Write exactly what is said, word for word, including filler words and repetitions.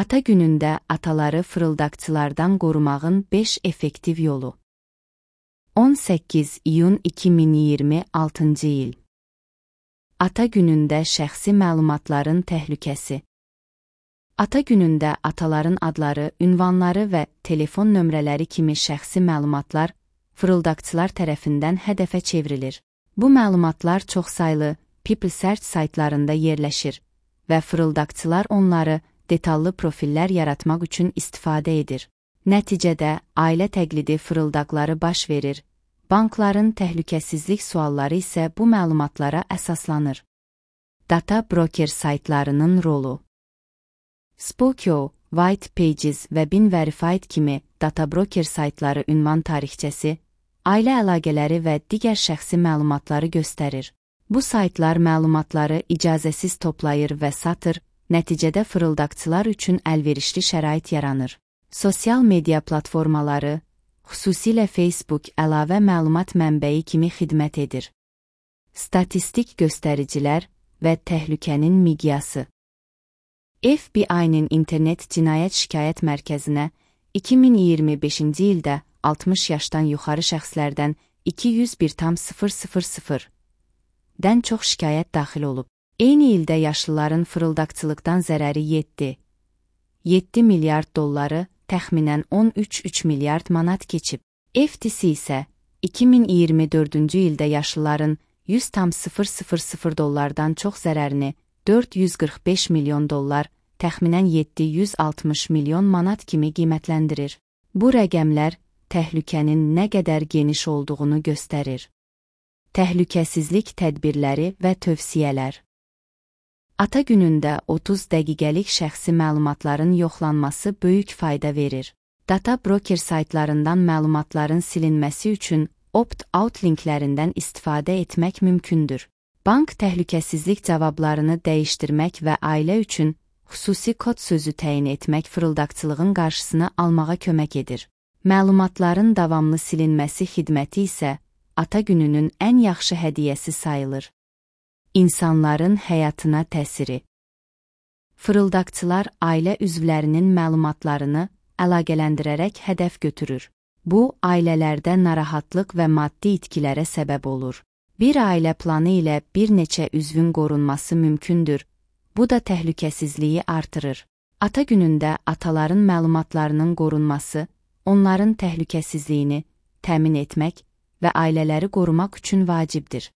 Ata günündə ataları fırıldaqçılardan qorumağın beş effektiv yolu. on səkkiz iyun iki min iyirmi altıncı il. Ata günündə şəxsi məlumatların təhlükəsi. Ata günündə ataların adları, ünvanları və telefon nömrələri kimi şəxsi məlumatlar fırıldaqçılar tərəfindən hədəfə çevrilir. Bu məlumatlar çoxsaylı People Search saytlarında yerləşir və fırıldaqçılar onları detallı profillər yaratmaq üçün istifadə edir. Nəticədə ailə təqlidi fırıldaqları baş verir. Bankların təhlükəsizlik sualları isə bu məlumatlara əsaslanır. Data broker saytlarının rolu. Spokeo, White Pages və Bin Verified kimi data broker saytları ünvan tarixçəsi, ailə əlaqələri və digər şəxsi məlumatları göstərir. Bu saytlar məlumatları icazəsiz toplayır və satır, nəticədə fırıldaqçılar üçün əlverişli şərait yaranır. Sosial media platformaları, xüsusilə Facebook əlavə məlumat mənbəyi kimi xidmət edir. Statistik göstəricilər və təhlükənin miqyası. F B I-nin internet cinayət şikayət mərkəzinə iki min iyirmi beşinci ildə altmış yaşdan yuxarı şəxslərdən iki yüz bir tam sıfır sıfır sıfır-dən çox şikayət daxil olub. Eyni ildə yaşlıların fırıldaqçılıqdan zərəri yeddi milyard dolları, təxminən on üç üç milyard manat keçib. F T C isə iki min iyirmi dördüncü ildə yaşlıların yüz tam sıfır sıfır sıfır dollardan çox zərərini dörd yüz qırx beş milyon dollar, təxminən yeddi yüz altmış milyon manat kimi qiymətləndirir. Bu rəqəmlər təhlükənin nə qədər geniş olduğunu göstərir. Təhlükəsizlik tədbirləri və tövsiyələr. Ata günündə otuz dəqiqəlik şəxsi məlumatların yoxlanması böyük fayda verir. Data broker saytlarından məlumatların silinməsi üçün opt-out linklərindən istifadə etmək mümkündür. Bank təhlükəsizlik cavablarını dəyişdirmək və ailə üçün xüsusi kod sözü təyin etmək fırıldaqçılığın qarşısını almağa kömək edir. Məlumatların davamlı silinməsi xidməti isə ata gününün ən yaxşı hədiyyəsi sayılır. İnsanların həyatına təsiri. Fırıldaqçılar ailə üzvlərinin məlumatlarını əlaqələndirərək hədəf götürür. Bu, ailələrdə narahatlıq və maddi itkilərə səbəb olur. Bir ailə planı ilə bir neçə üzvün qorunması mümkündür. Bu da təhlükəsizliyi artırır. Ata günündə ataların məlumatlarının qorunması, onların təhlükəsizliyini təmin etmək və ailələri qorumaq üçün vacibdir.